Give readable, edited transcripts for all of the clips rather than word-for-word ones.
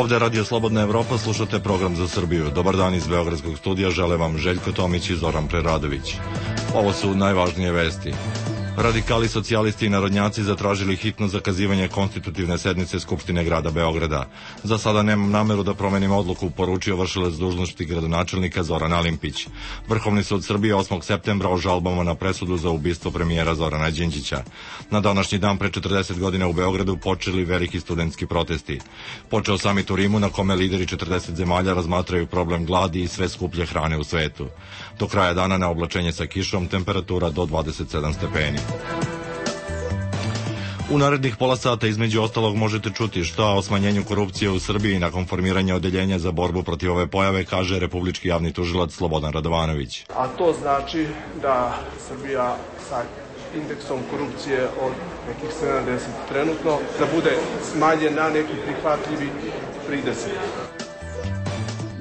Ovde Radio Slobodna Evropa, slušate program za Srbiju. Dobar dan iz Beogradskog studija, žele vam Željko Tomić i Zoran Preradović. Ovo su najvažnije vesti. Radikali, socijalisti i narodnjaci zatražili hitno zakazivanje konstitutivne sednice Skupštine grada Beograda. Za sada nemam nameru da promenim odluku, poručio vršilac dužnosti gradonačelnika Zoran Alimpić. Vrhovni sud Srbije 8. septembra o žalbama na presudu za ubistvo premijera Zorana Đinđića. Na današnji dan pre 40 godina u Beogradu počeli veliki studentski protesti. Počeo samit u Rimu na kome lideri 40 zemalja razmatraju problem gladi i sve skuplje hrane u svetu. Do kraja dana na oblačenje sa kišom, temperatura do 27 stepeni. U narednih pola sata između ostalog možete čuti šta o smanjenju korupcije u Srbiji nakon formiranja odeljenja za borbu protiv ove pojave, kaže republički javni tužilac Slobodan Radovanović. A to znači da Srbija sa indeksom korupcije od nekih 70 trenutno da bude smanjen na neki prihvatljivi 30.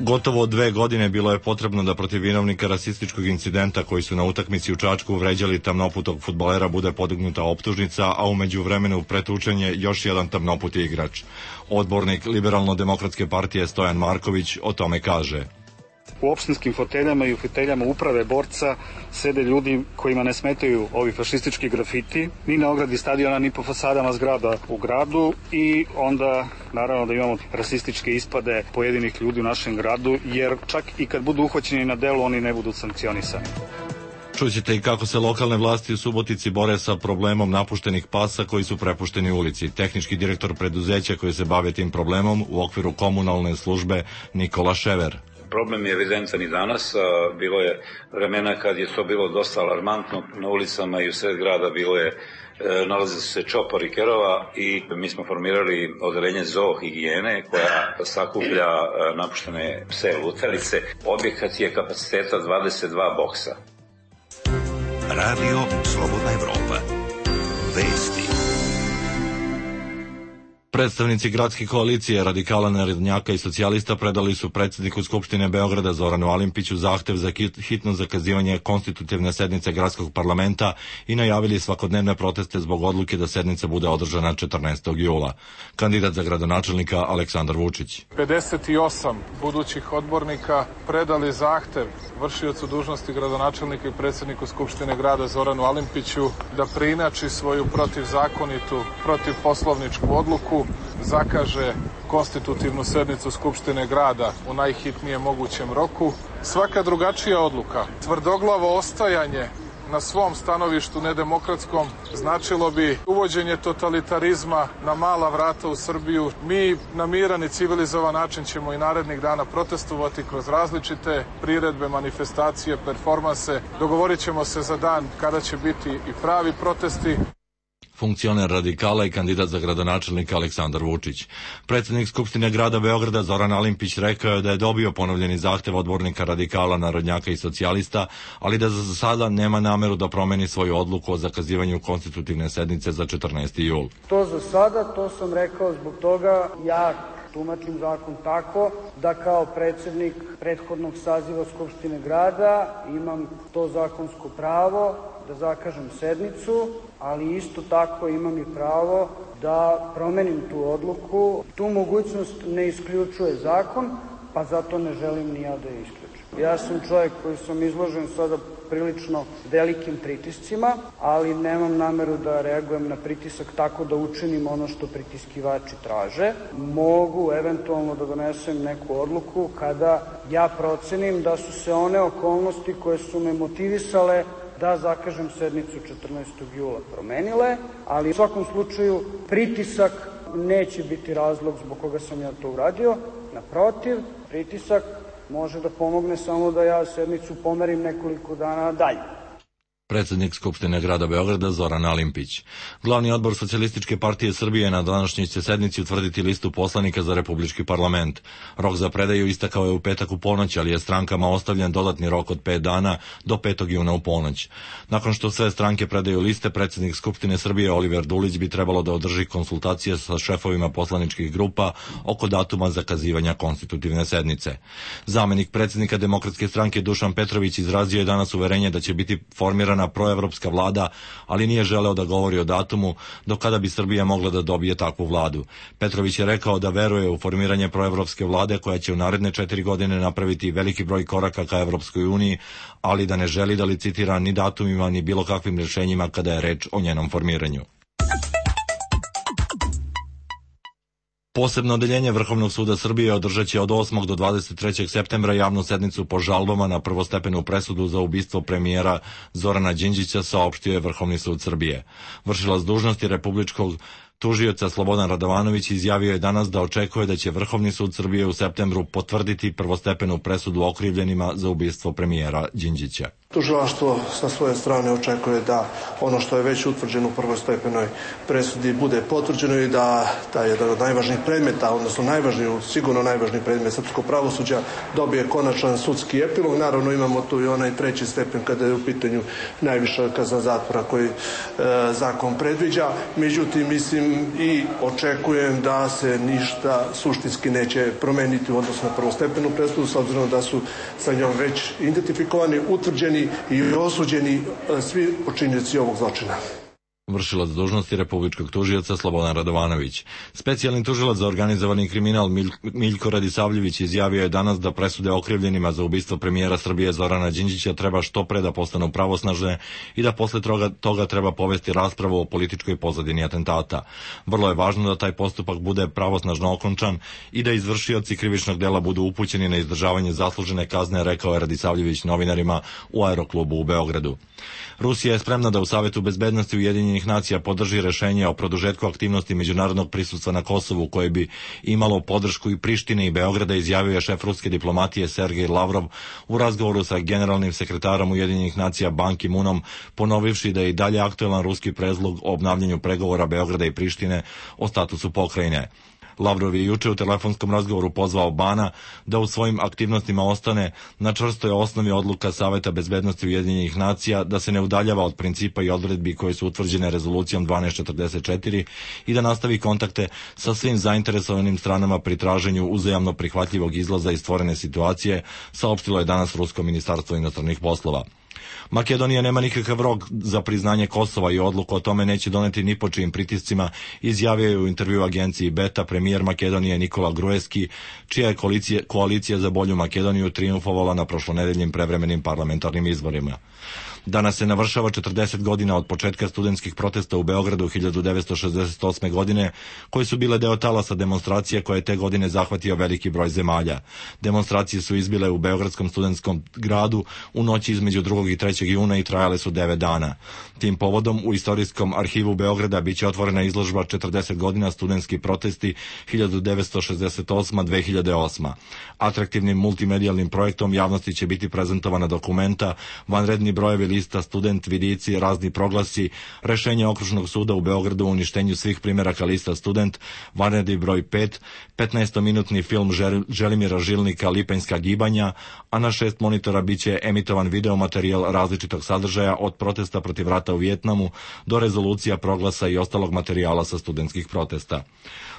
Gotovo 2 godine bilo je potrebno da protiv vinovnika rasističkog incidenta koji su na utakmici u Čačku vređali tamnoputog fudbalera bude podignuta optužnica, a u međuvremenu pretučen je još jedan tamnoputi igrač. Odbornik Liberalno-demokratske partije Stojan Marković o tome kaže: U opštinskim foteljama i u foteljama uprave borca sede ljudi kojima ne smetaju ovi fašistički grafiti, ni na ogradi stadiona, ni po fasadama zgrada u gradu, i onda naravno da imamo rasističke ispade pojedinih ljudi u našem gradu, jer čak i kad budu uhvaćeni na delu oni ne budu sankcionisani. Čućete i kako se lokalne vlasti u Subotici bore sa problemom napuštenih pasa koji su prepušteni ulici. Tehnički direktor preduzeća koji se bave tim problemom u okviru komunalne službe Nikola Šever. Problem je evidentan i danas, bilo je vremena kad je to bilo dosta alarmantno, na ulicama i u sred grada nalaze se čopori kerova i mi smo formirali odeljenje zoohigijene koja sakuplja napuštene pse lutalice. Objekat je kapaciteta 22 boksa. Radio Slobodna Evropa. Vesti. Predstavnici gradske koalicije radikala, narodnjaka i socijalista predali su predsjedniku Skupštine Beograda Zoranu Alimpiću zahtev za hitno zakazivanje konstitutivne sednice gradskog parlamenta i najavili svakodnevne proteste zbog odluke da sednica bude održana 14. jula. Kandidat za gradonačelnika Aleksandar Vučić. 58 budućih odbornika predali zahtev vršiocu dužnosti gradonačelnika i predsjedniku Skupštine grada Zoranu Alimpiću da preinači svoju protivzakonitu, protivposlovničku odluku, zakaže konstitutivnu sednicu Skupštine grada u najhitnijem mogućem roku. Svaka drugačija odluka, tvrdoglavo ostajanje na svom stanovištu nedemokratskom, značilo bi uvođenje totalitarizma na mala vrata u Srbiju. Mi na miran i civilizovan način ćemo i narednih dana protestovati kroz različite priredbe, manifestacije, performanse. Dogovorit ćemo se za dan kada će biti i pravi protesti. Funkcioner radikala i kandidat za gradonačelnika Aleksandar Vučić. Predsjednik Skupštine grada Beograda Zoran Alimpić rekao je da je dobio ponovljeni zahtev odbornika radikala, narodnjaka i socijalista, ali da za sada nema nameru da promeni svoju odluku o zakazivanju konstitutivne sednice za 14. jul. To za sada, to sam rekao zbog toga, ja tumačim zakon tako da kao predsjednik prethodnog saziva Skupštine grada imam to zakonsko pravo da zakažem sednicu, ali isto tako imam i pravo da promenim tu odluku. Tu mogućnost ne isključuje zakon, pa zato ne želim ni ja da je isključim. Ja sam čovjek koji sam izložen sada prilično velikim pritiscima, ali nemam nameru da reagujem na pritisak tako da učinim ono što pritiskivači traže. Mogu eventualno da donesem neku odluku kada ja procenim da su se one okolnosti koje su me motivisale da zakažem sednicu 14. jula promenile, ali u svakom slučaju pritisak neće biti razlog zbog koga sam ja to uradio. Naprotiv, pritisak može da pomogne samo da ja sednicu pomerim nekoliko dana dalje. Predsjednik Skupštine grada Beograda Zoran Alimpić. Glavni odbor Socijalističke partije Srbije na današnjoj će sednici utvrditi listu poslanika za republički parlament. Rok za predaju istakao je u petak u ponoć, ali je strankama ostavljen dodatni rok od 5 dana do 5. juna u ponoć. Nakon što sve stranke predaju liste, predsjednik Skupštine Srbije Oliver Dulić bi trebalo da održi konsultacije sa šefovima poslaničkih grupa oko datuma zakazivanja konstitutivne sednice. Zamenik predsjednika Demokratske stranke Dušan Petrović izrazio je danas uverenje da će biti formirana formirana proevropska vlada, ali nije želeo da govori o datumu do kada bi Srbija mogla da dobije takvu vladu. Petrović je rekao da veruje u formiranje proevropske vlade koja će u naredne 4 godine napraviti veliki broj koraka ka Evropskoj uniji, ali da ne želi da licitira ni datumima ni bilo kakvim rješenjima kada je reč o njenom formiranju. Posebno odeljenje Vrhovnog suda Srbije održat će od 8. do 23. septembra javnu sednicu po žalbama na prvostepenu presudu za ubistvo premijera Zorana Đinđića, saopštio je Vrhovni sud Srbije. Vršilac dužnosti republičkog tužioca Slobodan Radovanović izjavio je danas da očekuje da će Vrhovni sud Srbije u septembru potvrditi prvostepenu presudu okrivljenima za ubistvo premijera Đinđića. Tužilaštvo sa svoje strane očekuje da ono što je već utvrđeno u prvostepenoj presudi bude potvrđeno i da taj jedan od najvažnijih predmeta, odnosno sigurno najvažniji predmet srpskog pravosuđa dobije konačan sudski epilog. Naravno imamo tu i onaj treći stepen kada je u pitanju najviša kazna zatvora koji zakon predviđa. Međutim, mislim i očekujem da se ništa suštinski neće promeniti u odnosu na prvostepenu presudu, s obzirom da su sa njom već identifikovani, utvrđeni i osuđeni svi počinioci ovog zločina. Vršilac dužnosti republičkog tužioca Slobodan Radovanović. Specijalni tužilac za organizovani kriminal Miljko Radisavljević izjavio je danas da presude okrivljenima za ubistvo premijera Srbije Zorana Đinđića treba što pre da postanu pravosnažne i da posle toga treba povesti raspravu o političkoj pozadini atentata. Vrlo je važno da taj postupak bude pravosnažno okončan i da izvršioci krivičnog dela budu upućeni na izdržavanje zaslužene kazne, rekao je Radisavljević novinarima u Aeroklubu u Beogradu. Rusija je spremna da u Savetu bezbednosti Ujedinjenih nacija podrži rešenje o produžetku aktivnosti međunarodnog prisustva na Kosovu koje bi imalo podršku i Prištine i Beograda, izjavio je šef ruske diplomatije Sergej Lavrov u razgovoru sa generalnim sekretarom Ujedinjenih nacija Ban Ki-moonom, ponovivši da je i dalje aktuelan ruski predlog o obnavljanju pregovora Beograda i Prištine o statusu pokrajine. Lavrov je juče u telefonskom razgovoru pozvao Bana da u svojim aktivnostima ostane na čvrstoj osnovi odluka Saveta bezbednosti Ujedinjenih nacija, da se ne udaljava od principa i odredbi koje su utvrđene rezolucijom 1244 i da nastavi kontakte sa svim zainteresovanim stranama pri traženju uzajamno prihvatljivog izlaza iz stvorene situacije, saopštilo je danas Rusko ministarstvo inostranih poslova. Makedonija nema nikakav rok za priznanje Kosova i odluku o tome neće doneti ni po čijim pritiscima, izjavio je u intervju agenciji Beta premijer Makedonije Nikola Gruevski, čija je koalicija za bolju Makedoniju triumfovala na prošlonedeljnim prevremenim parlamentarnim izborima. Danas se navršava 40 godina od početka studentskih protesta u Beogradu 1968. godine, koje su bile deo talasa demonstracija koje je te godine zahvatio veliki broj zemalja. Demonstracije su izbile u Beogradskom studentskom gradu u noći između 2. i 3. juna i trajale su 9 dana. Tim povodom u Istorijskom arhivu Beograda biće otvorena izložba 40 godina studentski protesti 1968-2008. Atraktivnim multimedijalnim projektom javnosti će biti prezentovana dokumenta, vanredni brojevi lista, student, vidici, razni proglasi, rešenje Okružnog suda u Beogradu o uništenju svih primjeraka lista student, vanredni broj 5, 15-minutni film Želimira Žilnika Lipanjska gibanja, a na 6 monitora biće emitovan videomaterijal različitog sadržaja od protesta protiv rata u Vijetnamu do rezolucija, proglasa i ostalog materijala sa studentskih protesta.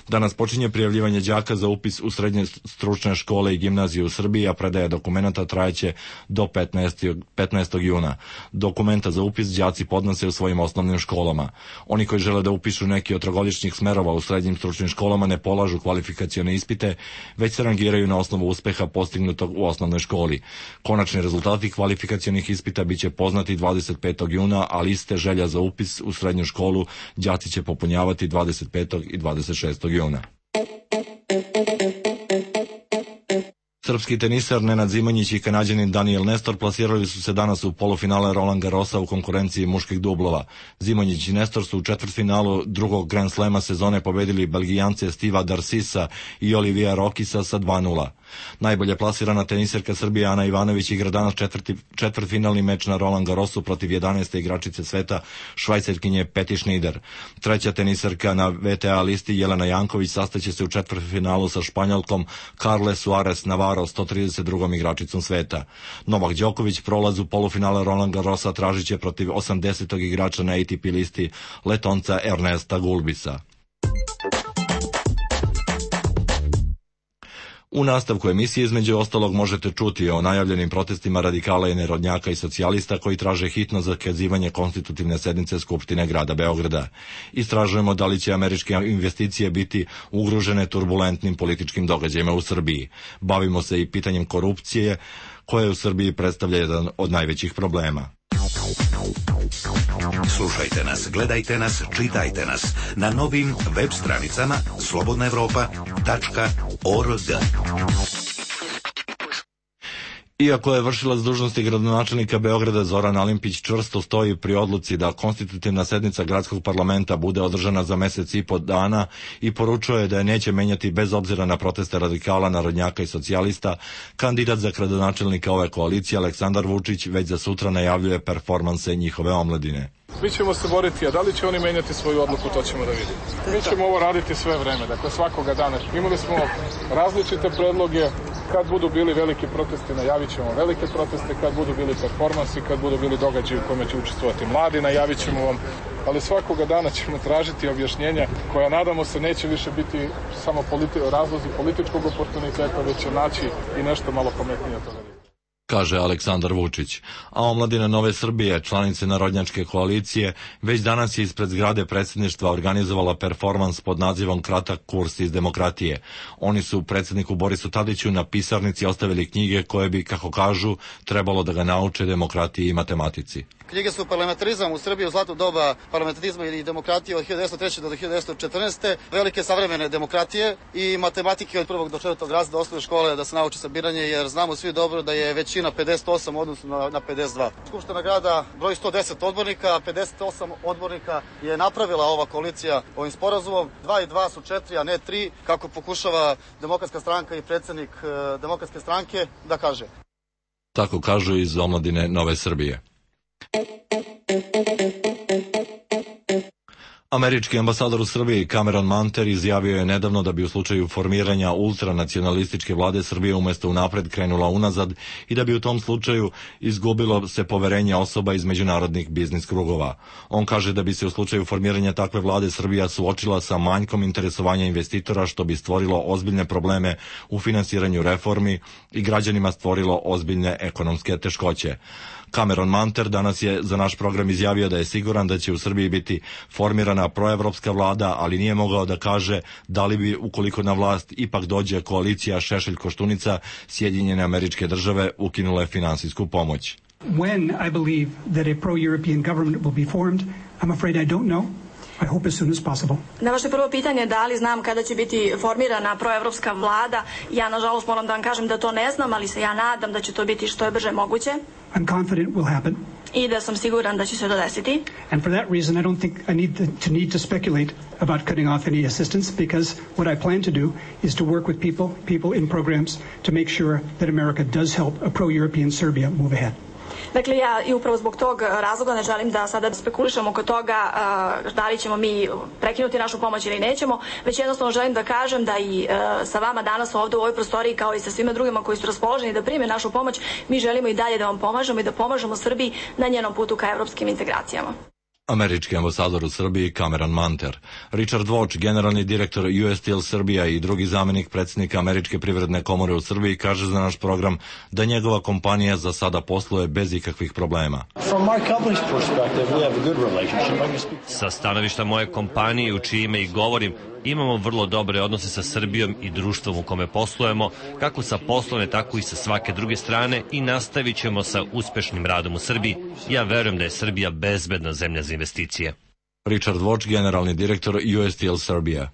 Danas počinje prijavljivanje đaka za upis u srednje stručne škole i gimnazije u Srbiji, a predaja dokumenta trajeće do 15. juna. Dokumenta za upis đaci podnose u svojim osnovnim školama. Oni koji žele da upišu neki od trogodišnjih smerova u srednjim stručnim školama ne polažu kvalifikacione ispite, već se rangiraju na osnovu uspeha postignutog u osnovnoj školi. Konačni rezultati kvalifikacionih ispita biće poznati 25. juna, a liste želja za upis u srednju školu đaci će popunjavati 25. i 26. juna. Srpski tenisar Nenad Zimonjić i Kanađanin Daniel Nestor plasirali su se danas u polufinale Roland Garrosa u konkurenciji muških dublova. Zimonjić i Nestor su u četvrtfinalu drugog Grand Slema sezone pobedili Belgijance Stiva Darsisa i Olivija Rokisa sa 2:0. Najbolje plasirana teniserka Srbije Ana Ivanović igra danas četvrtfinalni meč na Roland Garrosu protiv 11. igračice sveta Švajcarkinje Peti Schneider. Treća teniserka na VTA listi Jelena Janković sastaće se u četvrtfinalu sa Španjolkom Carle Suarez Navarro, 132. igračicom sveta. Novak Đoković prolaz u polufinale Roland Garrosa tražit će protiv 80. igrača na ATP listi Letonca Ernesta Gulbisa. U nastavku emisije između ostalog možete čuti o najavljenim protestima radikala i narodnjaka i socijalista koji traže hitno zakazivanje konstitutivne sednice Skupštine grada Beograda. Istražujemo da li će američke investicije biti ugrožene turbulentnim političkim događajima u Srbiji. Bavimo se i pitanjem korupcije koje u Srbiji predstavlja jedan od najvećih problema. Slušajte nas, gledajte nas, čitajte nas na novim web stranicama slobodnaevropa.org. Iako je vršilac dužnosti gradonačelnika Beograda Zoran Alimpić čvrsto stoji pri odluci da konstitutivna sednica gradskog parlamenta bude održana za mesec i po dana i poručuje da je neće menjati bez obzira na proteste radikala, narodnjaka i socijalista, kandidat za gradonačelnika ove koalicije Aleksandar Vučić već za sutra najavljuje performanse njihove omladine. Mi ćemo se boriti, a da li će oni menjati svoju odluku, to ćemo da vidimo. Mi ćemo ovo raditi sve vreme, dakle svakoga dana. Imali smo različite predloge, kad budu bili veliki protesti najavit ćemo velike proteste, kad budu bili performansi, kad budu bili događaji u kojima će učestvovati mladi, najavit ćemo vam, ali svakoga dana ćemo tražiti objašnjenja koja nadamo se neće više biti samo razlozi političkog oportuniteta, već će naći i nešto malo pametnije od toga. Kaže Aleksandar Vučić. A omladina Nove Srbije, članice narodnjačke koalicije, već danas je ispred zgrade predsjedništva organizovala performans pod nazivom Kratak kurs iz demokratije. Oni su predsjedniku Borisu Tadiću na pisarnici ostavili knjige koje bi, kako kažu, trebalo da ga nauče demokratiji i matematici. Knjige su Parlamentarizam u Srbiji u zlatno doba parlamentarizma i demokratije od 1903. do 1914. Velike savremene demokratije i matematike od 1. do 4. razreda osnovne škole da se nauči sabiranje, jer znamo svi dobro da je većina 58 odnosno na 52. Skupština grada broji 110 odbornika, 58 odbornika je napravila ova koalicija ovim sporazumom. 2 i 2 su 4, a ne 3, kako pokušava Demokratska stranka i predsjednik Demokratske stranke da kaže. Tako kažu iz omladine Nove Srbije. Američki ambasador u Srbiji Cameron Manter izjavio je nedavno da bi u slučaju formiranja ultranacionalističke vlade Srbije umjesto unapred krenula unazad i da bi u tom slučaju izgubilo se poverenje osoba iz međunarodnih biznis krugova. On kaže da bi se u slučaju formiranja takve vlade Srbija suočila sa manjkom interesovanja investitora, što bi stvorilo ozbiljne probleme u finansiranju reformi i građanima stvorilo ozbiljne ekonomske teškoće. Cameron Manter danas je za naš program izjavio da je siguran da će u Srbiji biti formirana proevropska vlada, ali nije mogao da kaže da li bi, ukoliko na vlast ipak dođe koalicija Šešelj-Koštunica, Sjedinjene Američke Države ukinule finansijsku pomoć. When I believe that a pro-European government will be formed, I'm afraid I don't know. I hope as soon as possible. Na vaše prvo pitanje da li znam kada će biti formirana proevropska vlada, ja nažalost moram da vam kažem da to ne znam, ali se ja nadam da će to biti što je brže moguće. I'm confident it will happen. I da sam siguran da će se to desiti. And for that reason I don't think I need to speculate about cutting off any assistance, because what I plan to do is to work with people in programs to make sure that America does help a pro-European Serbia move ahead. Dakle, ja i upravo zbog tog razloga ne želim da sada spekulišemo oko toga da li ćemo mi prekinuti našu pomoć ili nećemo, već jednostavno želim da kažem da i sa vama danas ovdje u ovoj prostoriji, kao i sa svima drugima koji su raspoloženi da prime našu pomoć, mi želimo i dalje da vam pomažemo i da pomažemo Srbiji na njenom putu ka evropskim integracijama. Američki ambasador u Srbiji Cameron Manter. Richard Voć, generalni direktor US Steel Srbija i drugi zamjenik predsjednika Američke privredne komore u Srbiji, kaže za naš program da njegova kompanija za sada posluje bez ikakvih problema. Sa stanovišta moje kompanije, u čije ime i govorim, imamo vrlo dobre odnose sa Srbijom i društvom u kome poslujemo, kako sa poslovne, tako i sa svake druge strane, i nastavit ćemo sa uspešnim radom u Srbiji. Ja verujem da je Srbija bezbedna zemlja za investicije. Richard Voć, generalni direktor US Steel Srbija.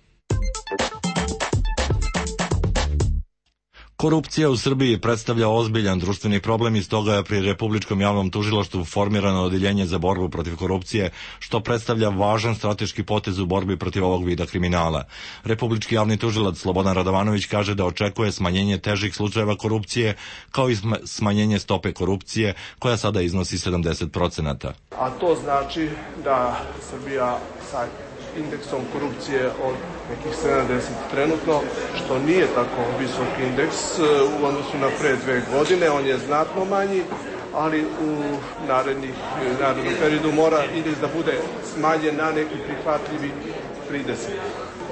Korupcija u Srbiji predstavlja ozbiljan društveni problem i stoga je pri Republičkom javnom tužilaštvu formirano odeljenje za borbu protiv korupcije, što predstavlja važan strateški potez u borbi protiv ovog vida kriminala. Republički javni tužilac Slobodan Radovanović kaže da očekuje smanjenje težih slučajeva korupcije, kao i smanjenje stope korupcije, koja sada iznosi 70%. A to znači da Srbija sa indeksom korupcije od nekih 70 trenutno, što nije tako visok indeks u odnosu na pre 2 godine, on je znatno manji, ali u narednom periodu mora indeks da bude smanjen na neki prihvatljivi 30.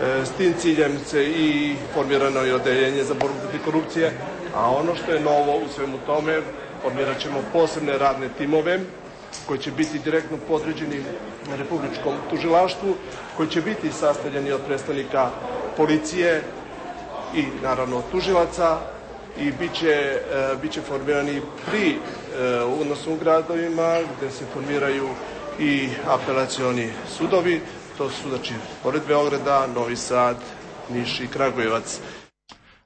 S tim ciljem se i formirano je odeljenje za borbu protiv korupcije, a ono što je novo u svemu tome, formirat ćemo posebne radne timove koji će biti direktno podređeni Republičkom tužilaštvu, koji će biti sastavljeni od predstavnika policije i naravno tužilaca i bit će formirani pri odnosno u gradovima gde se formiraju i apelacioni sudovi. To su, znači, pored Beograda, Novi Sad, Niš i Kragujevac.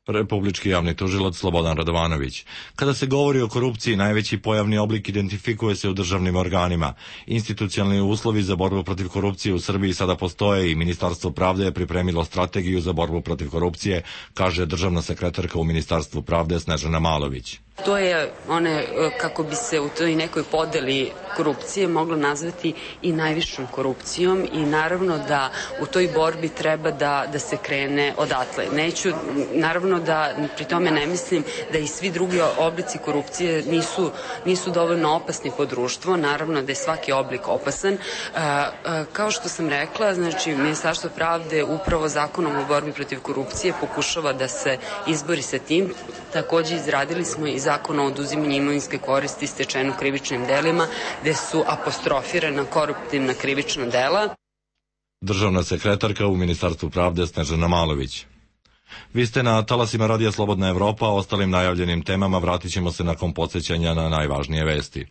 Republički javni tužilac Slobodan Radovanović. Kada se govori o korupciji, najveći pojavni oblik identifikuje se u državnim organima. Institucionalni uslovi za borbu protiv korupcije u Srbiji sada postoje i Ministarstvo pravde je pripremilo strategiju za borbu protiv korupcije, kaže državna sekretarka u Ministarstvu pravde Snežana Malović. To je one, kako bi se u toj nekoj podeli korupcije moglo nazvati i najvišom korupcijom i naravno da u toj borbi treba da se krene odatle. Naravno da pri tome ne mislim da i svi drugi oblici korupcije nisu dovoljno opasni po društvo, naravno da je svaki oblik opasan. Kao što sam rekla, znači Ministarstvo pravde upravo zakonom o borbi protiv korupcije pokušava da se izbori sa tim. Takođe izradili smo i zakon o oduzimanju imovinske koristi stečenu krivičnim delima, gde su apostrofirana koruptivna krivična dela. Državna sekretarka u Ministarstvu pravde Snežana Malović. Vi ste na talasima Radija Slobodna Evropa, ostalim najavljenim temama vratit ćemo se nakon podsjećanja na najvažnije vesti.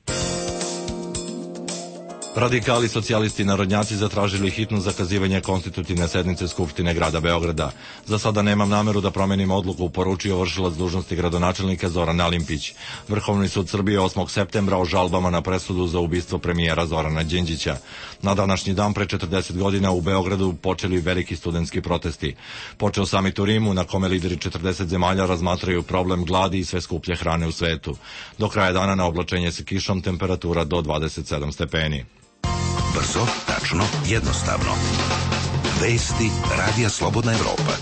Radikali, socijalisti i narodnjaci zatražili hitno zakazivanje konstitutivne sednice Skupštine grada Beograda. Za sada nemam nameru da promenim odluku, poručio vršilac dužnosti gradonačelnika Zoran Alimpić. Vrhovni sud Srbije 8. septembra o žalbama na presudu za ubistvo premijera Zorana Đinđića. Na današnji dan pre 40 godina u Beogradu počeli veliki studentski protesti. Počeo samit u Rimu na kome lideri 40 zemalja razmatraju problem gladi i sve skuplje hrane u svetu. Do kraja dana na oblačenje sa kišom temperatura do 27 stepeni. Brzo, tačno, jednostavno. Vesti Radija Slobodna Evropa.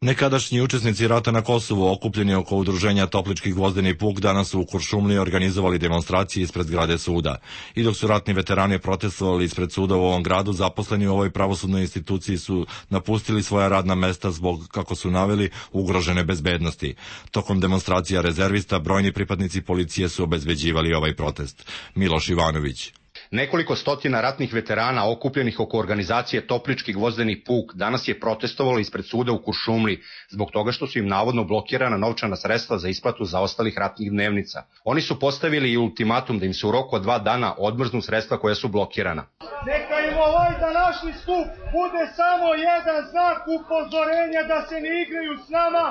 Nekadašnji učesnici rata na Kosovu, okupljeni oko udruženja Toplički gvozdeni puk, danas su u Kuršumliji organizovali demonstracije ispred zgrade suda. I dok su ratni veterani protestovali ispred suda u ovom gradu, zaposleni u ovoj pravosudnoj instituciji su napustili svoja radna mesta zbog, kako su naveli, ugrožene bezbednosti. Tokom demonstracija rezervista, brojni pripadnici policije su obezbeđivali ovaj protest. Miloš Ivanović. Nekoliko stotina ratnih veterana okupljenih oko organizacije Toplički gvozdeni puk danas je protestovalo ispred suda u Kuršumliji zbog toga što su im navodno blokirana novčana sredstva za isplatu zaostalih ratnih dnevnica. Oni su postavili i ultimatum da im se u roku od 2 dana odmrznu sredstva koja su blokirana. Neka im ovaj današnji skup bude samo jedan znak upozorenja da se ne igraju s nama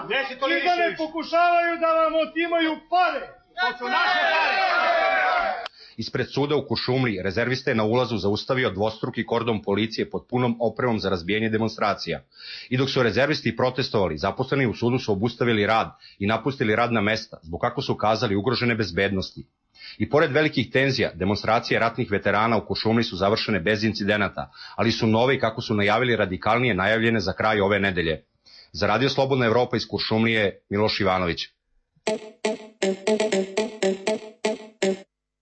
i da ne pokušavaju da vam otimaju pare. To su naše pare. Ispred suda u Kuršumliji rezervista je na ulazu zaustavio dvostruki kordon policije pod punom opremom za razbijanje demonstracija. I dok su rezervisti protestovali, zaposleni u sudu su obustavili rad i napustili radna mesta zbog, kako su kazali, ugrožene bezbednosti. I pored velikih tenzija, demonstracije ratnih veterana u Kuršumliji su završene bez incidenata, ali su nove i, kako su najavili, radikalnije najavljene za kraj ove nedelje. Za Radio Slobodna Evropa iz Kuršumlije, Miloš Ivanović.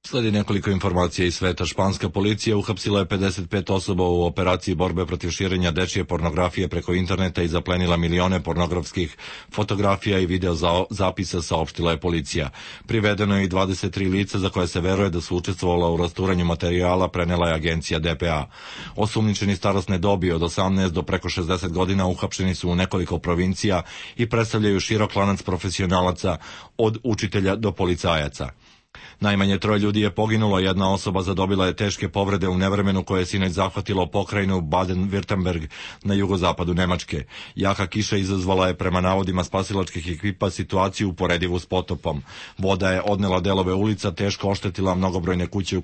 Sledi nekoliko informacija iz sveta. Španska policija uhapsila je 55 osoba u operaciji borbe protiv širenja dečije pornografije preko interneta i zaplenila milione pornografskih fotografija i video zapisa, saopštila je policija. Privedeno je i 23 lica za koje se veruje da su učestvovala u rasturanju materijala, prenela je agencija DPA. Osumnjičeni starosne dobi od 18 do preko 60 godina uhapšeni su u nekoliko provincija i predstavljaju širok lanac profesionalaca od učitelja do policajaca. Najmanje 3 ljudi je poginulo, jedna osoba zadobila je teške povrede u nevremenu koje je sinoć zahvatilo pokrajinu Baden-Württemberg na jugozapadu Nemačke. Jaka kiša izazvala je, prema navodima spasilačkih ekipa, situaciju uporedivu s potopom. Voda je odnela delove ulica, teško oštetila mnogobrojne kuće u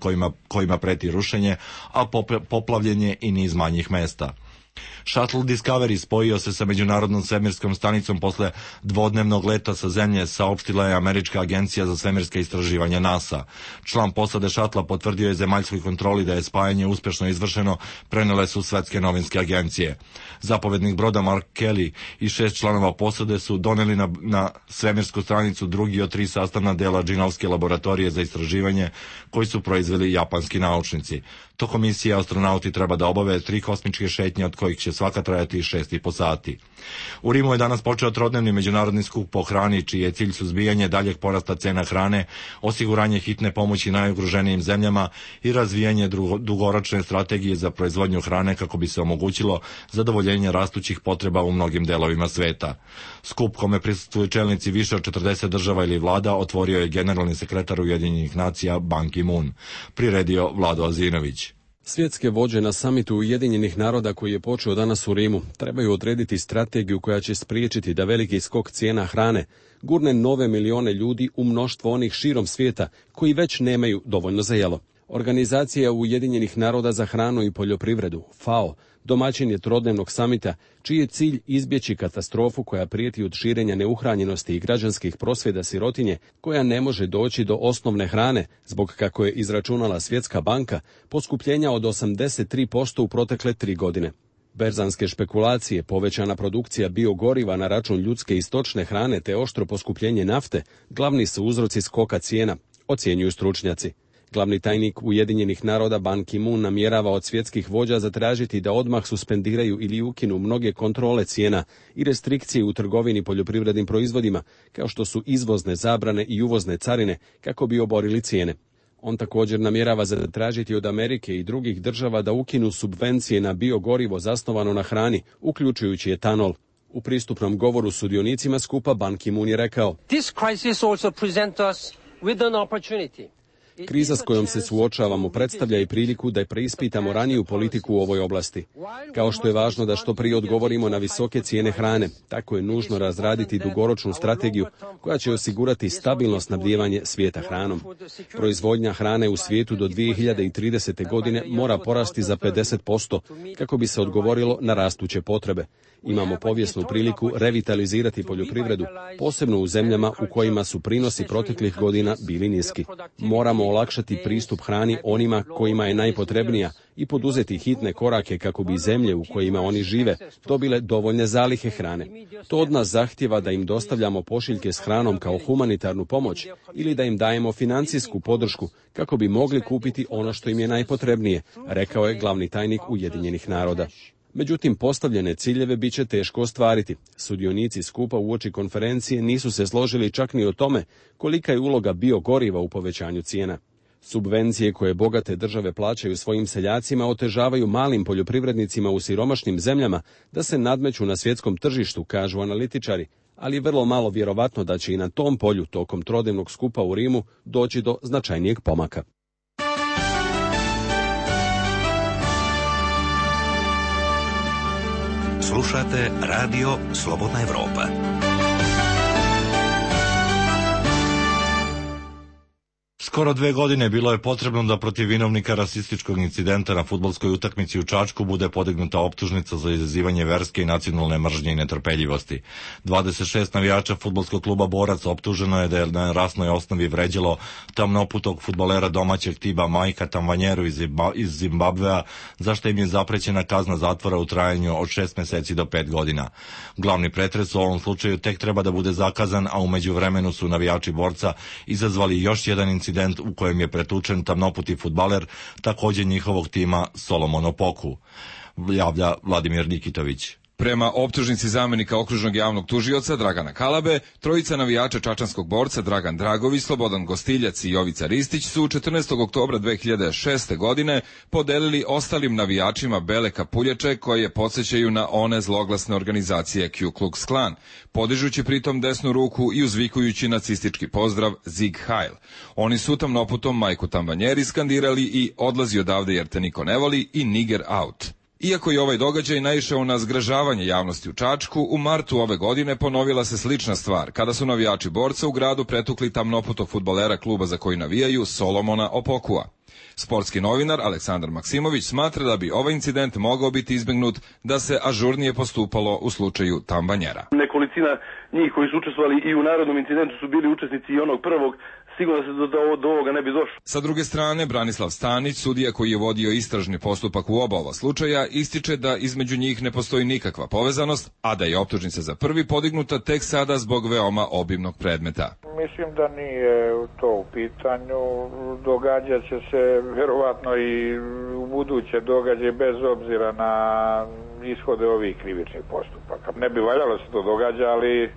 kojima preti rušenje, a poplavljen je i niz manjih mesta. Shuttle Discovery spojio se sa međunarodnom svemirskom stanicom posle dvodnevnog leta sa zemlje, saopštila je američka agencija za svemirska istraživanja NASA. Član posade šatla potvrdio je zemaljskoj kontroli da je spajanje uspešno izvršeno, prenele su svetske novinske agencije. Zapovednik broda Mark Kelly i 6 članova posade su doneli na svemirsku stranicu drugi od 3 sastavna dela Džinovske laboratorije za istraživanje koji su proizveli japanski naučnici. Tokom misije astronauti treba da obave 3 kosmičke šetnje od kojih će svaka trajati 6,5 sati. U Rimu je danas počeo trodnevni međunarodni skup po hrani, čiji je cilj suzbijanje daljeg porasta cena hrane, osiguranje hitne pomoći najugroženijim zemljama i razvijanje dugoročne strategije za proizvodnju hrane kako bi se omogućilo zadovoljenje rastućih potreba u mnogim delovima sveta. Skup kome prisustvuju čelnici više od 40 država ili vlada otvorio je generalni sekretar Ujedinjenih nacija Ban Ki-moon. Priredio Vlado Azinović. Svjetske vođe na samitu Ujedinjenih naroda koji je počeo danas u Rimu trebaju odrediti strategiju koja će spriječiti da veliki skok cijena hrane gurne nove milione ljudi u mnoštvo onih širom svijeta koji već nemaju dovoljno za jelo. Organizacija Ujedinjenih naroda za hranu i poljoprivredu, FAO, domaćin je trodnevnog samita, čiji je cilj izbjeći katastrofu koja prijeti od širenja neuhranjenosti i građanskih prosvjeda sirotinje, koja ne može doći do osnovne hrane, zbog, kako je izračunala Svjetska banka, poskupljenja od 83% u protekle 3 godine. Berzanske špekulacije, povećana produkcija biogoriva na račun ljudske i stočne hrane te oštro poskupljenje nafte glavni su uzroci skoka cijena, ocjenjuju stručnjaci. Glavni tajnik Ujedinjenih naroda Ban Ki-moon namjerava od svjetskih vođa zatražiti da odmah suspendiraju ili ukinu mnoge kontrole cijena i restrikcije u trgovini poljoprivrednim proizvodima, kao što su izvozne zabrane i uvozne carine, kako bi oborili cijene. On također namjerava zatražiti od Amerike i drugih država da ukinu subvencije na biogorivo zasnovano na hrani, uključujući etanol. U pristupnom govoru sudionicima skupa Ban Ki-moon je rekao: This crisis also presents us with an opportunity. Kriza s kojom se suočavamo predstavlja i priliku da preispitamo raniju politiku u ovoj oblasti. Kao što je važno da što prije odgovorimo na visoke cijene hrane, tako je nužno razraditi dugoročnu strategiju koja će osigurati stabilno snabdijevanje svijeta hranom. Proizvodnja hrane u svijetu do 2030. godine mora porasti za 50% kako bi se odgovorilo na rastuće potrebe. Imamo povijesnu priliku revitalizirati poljoprivredu, posebno u zemljama u kojima su prinosi proteklih godina bili niski. Moramo olakšati pristup hrani onima kojima je najpotrebnija i poduzeti hitne korake kako bi zemlje u kojima oni žive dobile dovoljne zalihe hrane. To od nas zahtijeva da im dostavljamo pošiljke s hranom kao humanitarnu pomoć ili da im dajemo financijsku podršku kako bi mogli kupiti ono što im je najpotrebnije, rekao je glavni tajnik Ujedinjenih naroda. Međutim, postavljene ciljeve bit će teško ostvariti. Sudionici skupa uoči konferencije nisu se složili čak ni o tome kolika je uloga biogoriva u povećanju cijena. Subvencije koje bogate države plaćaju svojim seljacima otežavaju malim poljoprivrednicima u siromašnim zemljama da se nadmeću na svjetskom tržištu, kažu analitičari, ali je vrlo malo vjerovatno da će i na tom polju tokom trodnevnog skupa u Rimu doći do značajnijeg pomaka. Slušate Radio Slobodna Evropa. Skoro 2 godine bilo je potrebno da protiv vinovnika rasističkog incidenta na fudbalskoj utakmici u Čačku bude podignuta optužnica za izazivanje verske i nacionalne mržnje i netrpeljivosti. 26 navijača fudbalskog kluba Borac optuženo je da je na rasnoj osnovi vređalo tamnoputog fudbalera domaćeg tiba Majka Tamvanjeru iz Zimbabvea, za što im je zaprećena kazna zatvora u trajanju od 6 meseci do 5 godina. Glavni pretres u ovom slučaju tek treba da bude zakazan, a u međuvremenu su navijači Borca izazvali još jedan incident u kojem je pretučen tamnoputi fudbaler, također njihovog tima Solomon Opoku, javlja Vladimir Nikitović. Prema optužnici zamenika okružnog javnog tužioca Dragana Kalabe, trojica navijača čačanskog Borca Dragan Dragović, Slobodan Gostiljac i Jovica Ristić su 14. oktobra 2006. godine podelili ostalim navijačima bele kapuljače koje podsjećaju na one zloglasne organizacije Ku Klux Klan, podižući pritom desnu ruku i uzvikujući nacistički pozdrav Sieg Heil. Oni su tamnoputom Majku Tamvanjeri skandirali i odlazi odavde jer te niko ne voli i Niger out. Iako je ovaj događaj naišao na zgražavanje javnosti u Čačku, u martu ove godine ponovila se slična stvar, kada su navijači Borca u gradu pretukli tamnoputog fudbalera kluba za koji navijaju Solomona Opokua. Sportski novinar Aleksandar Maksimović smatra da bi ovaj incident mogao biti izbegnut da se ažurnije postupalo u slučaju Tamvanjera. Nekolicina njih koji su učestvovali i u narodnom incidentu su bili učesnici i onog prvog. Sigurno se do ovoga ne bi došlo. Sa druge strane, Branislav Stanić, sudija koji je vodio istražni postupak u oba ova slučaja, ističe da između njih ne postoji nikakva povezanost, a da je optužnica za prvi podignuta tek sada zbog veoma obimnog predmeta. Mislim da nije to u pitanju. Događat će se verovatno i u buduće događaje bez obzira na ishode ovih krivičnih postupaka. Ne bi valjalo se to događa, ali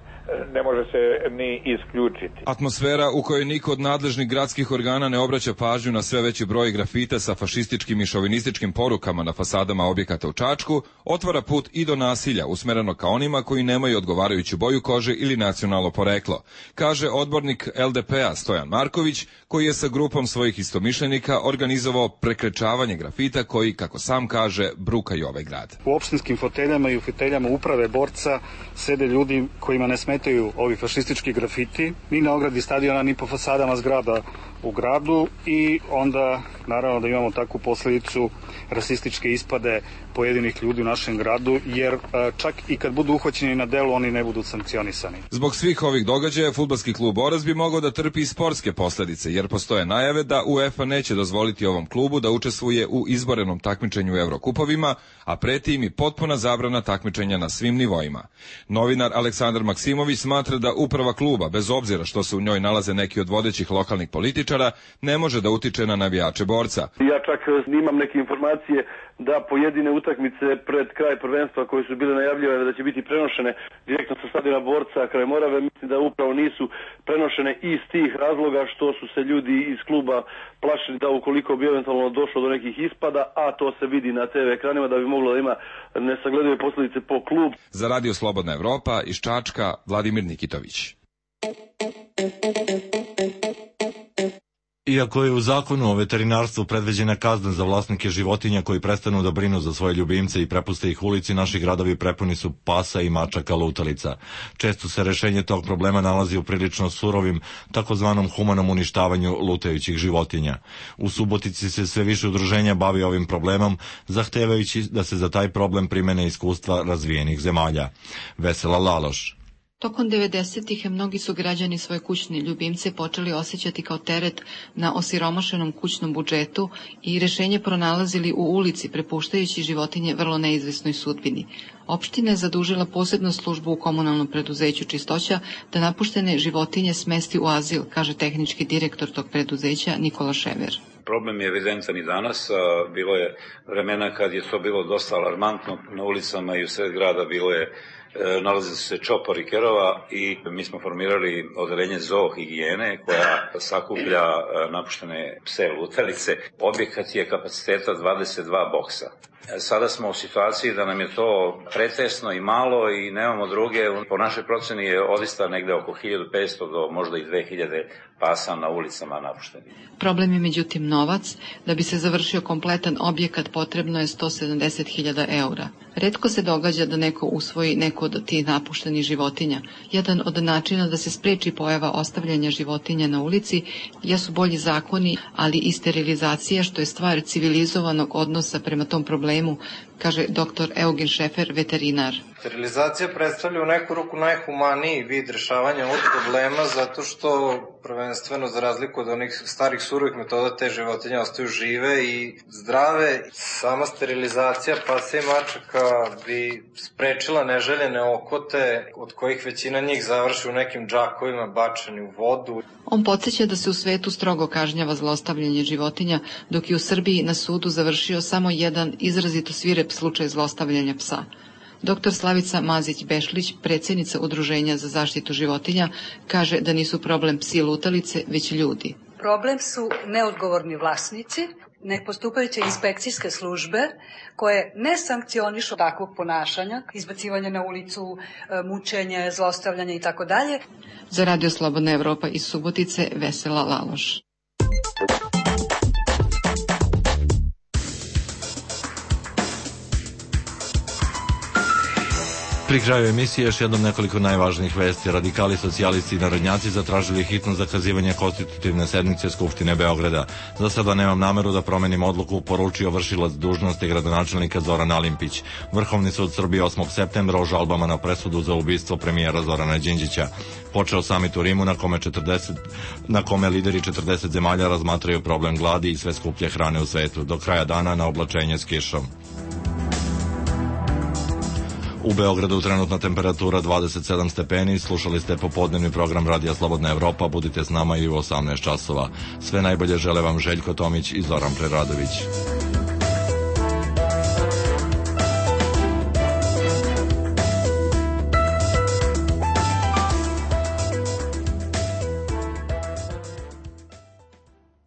ne može se ni isključiti. Atmosfera u kojoj niko od nadležnih gradskih organa ne obraća pažnju na sve veći broj grafita sa fašističkim i šovinističkim porukama na fasadama objekata u Čačku otvara put i do nasilja usmereno ka onima koji nemaju odgovarajuću boju kože ili nacionalno poreklo, kaže odbornik LDP-a Stojan Marković, koji je sa grupom svojih istomišljenika organizovao prekrečavanje grafita koji, kako sam kaže, brukaju ovaj grad. U opštinskim foteljama i u foteljama uprave Borca sede ljudi kojima ne smetaju ovi fašistički grafiti, ni na ogradi stadiona, ni po fasadama zgrada u gradu, i onda naravno da imamo takvu posledicu rasističke ispade pojedinih ljudi u našem gradu, jer čak i kad budu uhvaćeni na delu, oni ne budu sankcionisani. Zbog svih ovih događaja, fudbalski klub Borac bi mogao da trpi i sportske posledice, jer postoje najave da UEFA neće dozvoliti ovom klubu da učestvuje u izborenom takmičenju u Evrokupovima, a preti im i potpuna zabrana takmičenja na svim nivoima. Novinar Aleksandar Maksimović smatra da uprava kluba, bez obzira što se u njoj nalaze neki od vodećih lokalnih političara, ne može da utiče na navijače Borca. Ja čak imam neke informacije da pojedine utakmice pred kraj prvenstva koje su bile najavljivane da će biti prenošene direktno sa stadiona Borca kraj Morave, mislim da upravo nisu prenošene iz tih razloga što su se ljudi iz kluba plašili da ukoliko bi eventualno došlo do nekih ispada, a to se vidi na TV ekranima, da bi moglo da ima nesagledive posljedice po klub. Za Radio Slobodna Evropa iz Čačka, Vladimir Nikitović. Iako je u zakonu o veterinarstvu predviđena kazna za vlasnike životinja koji prestanu da brinu za svoje ljubimce i prepuste ih ulici, naši gradovi prepuni su pasa i mačaka lutalica. Često se rešenje tog problema nalazi u prilično surovim, takozvanom humanom uništavanju lutajućih životinja. U Subotici se sve više udruženja bavi ovim problemom, zahtevajući da se za taj problem primene iskustva razvijenih zemalja. Vesela Laloš. Tokom 90-ih mnogi su građani svoje kućne ljubimce počeli osjećati kao teret na osiromašenom kućnom budžetu i rešenje pronalazili u ulici, prepuštajući životinje vrlo neizvesnoj sudbini. Opština je zadužila posebnu službu u komunalnom preduzeću Čistoća da napuštene životinje smesti u azil, kaže tehnički direktor tog preduzeća Nikola Šever. Problem je evidentan i danas. Bilo je vremena kad je to bilo dosta alarmantno. Na ulicama i u sred grada nalaze se čopori kerova i mi smo formirali odeljenje zoohigijene koja sakuplja napuštene pse lutalice. Objekat je kapaciteta 22 boksa. Sada smo u situaciji da nam je to pretesno i malo i nemamo druge. Po našoj proceni je odista negde oko 1500 do možda i 2000 pasa na ulicama napuštenih. Problem je međutim novac. Da bi se završio kompletan objekat potrebno je 170.000 eura. Retko se događa da neko usvoji neku od tih napuštenih životinja. Jedan od načina da se spreči pojava ostavljanja životinja na ulici jesu bolji zakoni, ali i sterilizacija, što je stvar civilizovanog odnosa prema tom problemu, kaže dr. Eugen Šefer, veterinar. Sterilizacija predstavlja u neku ruku najhumaniji vid rešavanja ovog problema zato što prvenstveno za razliku od onih starih surovih metoda te životinje ostaju žive i zdrave. Sama sterilizacija pasa i mačaka bi sprečila neželjene okote od kojih većina njih završi u nekim džakovima bačeni u vodu. On podsjeća da se u svetu strogo kažnjava zlostavljanje životinja, dok je u Srbiji na sudu završio samo jedan izrazito svirep slučaj zlostavljanja psa. Dr. Slavica Mazić-Bešlić, predsjednica Udruženja za zaštitu životinja, kaže da nisu problem psi lutalice, već ljudi. Problem su neodgovorni vlasnici, nepostupajuće inspekcijske službe koje ne sankcionišu takvog ponašanja, izbacivanje na ulicu, mučenje, zlostavljanje itd. Za Radio Slobodna Evropa iz Subotice, Vesela Laloš. Pri kraju emisije još jednom nekoliko najvažnijih vesti. Radikali, socijalisti i narodnjaci zatražili hitno zakazivanje konstitutivne sednice Skupštine Beograda. Za sada nemam nameru da promenim odluku, poručio vršilac dužnosti gradonačelnika Zoran Alimpić. Vrhovni sud Srbije 8. septembra o žalbama na presudu za ubistvo premijera Zorana Đinđića. Počeo samit u Rimu na kome lideri 40 zemalja razmatraju problem gladi i sve skuplje hrane u svetu. Do kraja dana na oblačenje s kišom. U Beogradu trenutna temperatura 27 stepeni, slušali ste popodnevni program Radija Slobodna Evropa, budite s nama i u 18 časova. Sve najbolje žele vam Željko Tomić i Zoran Preradović.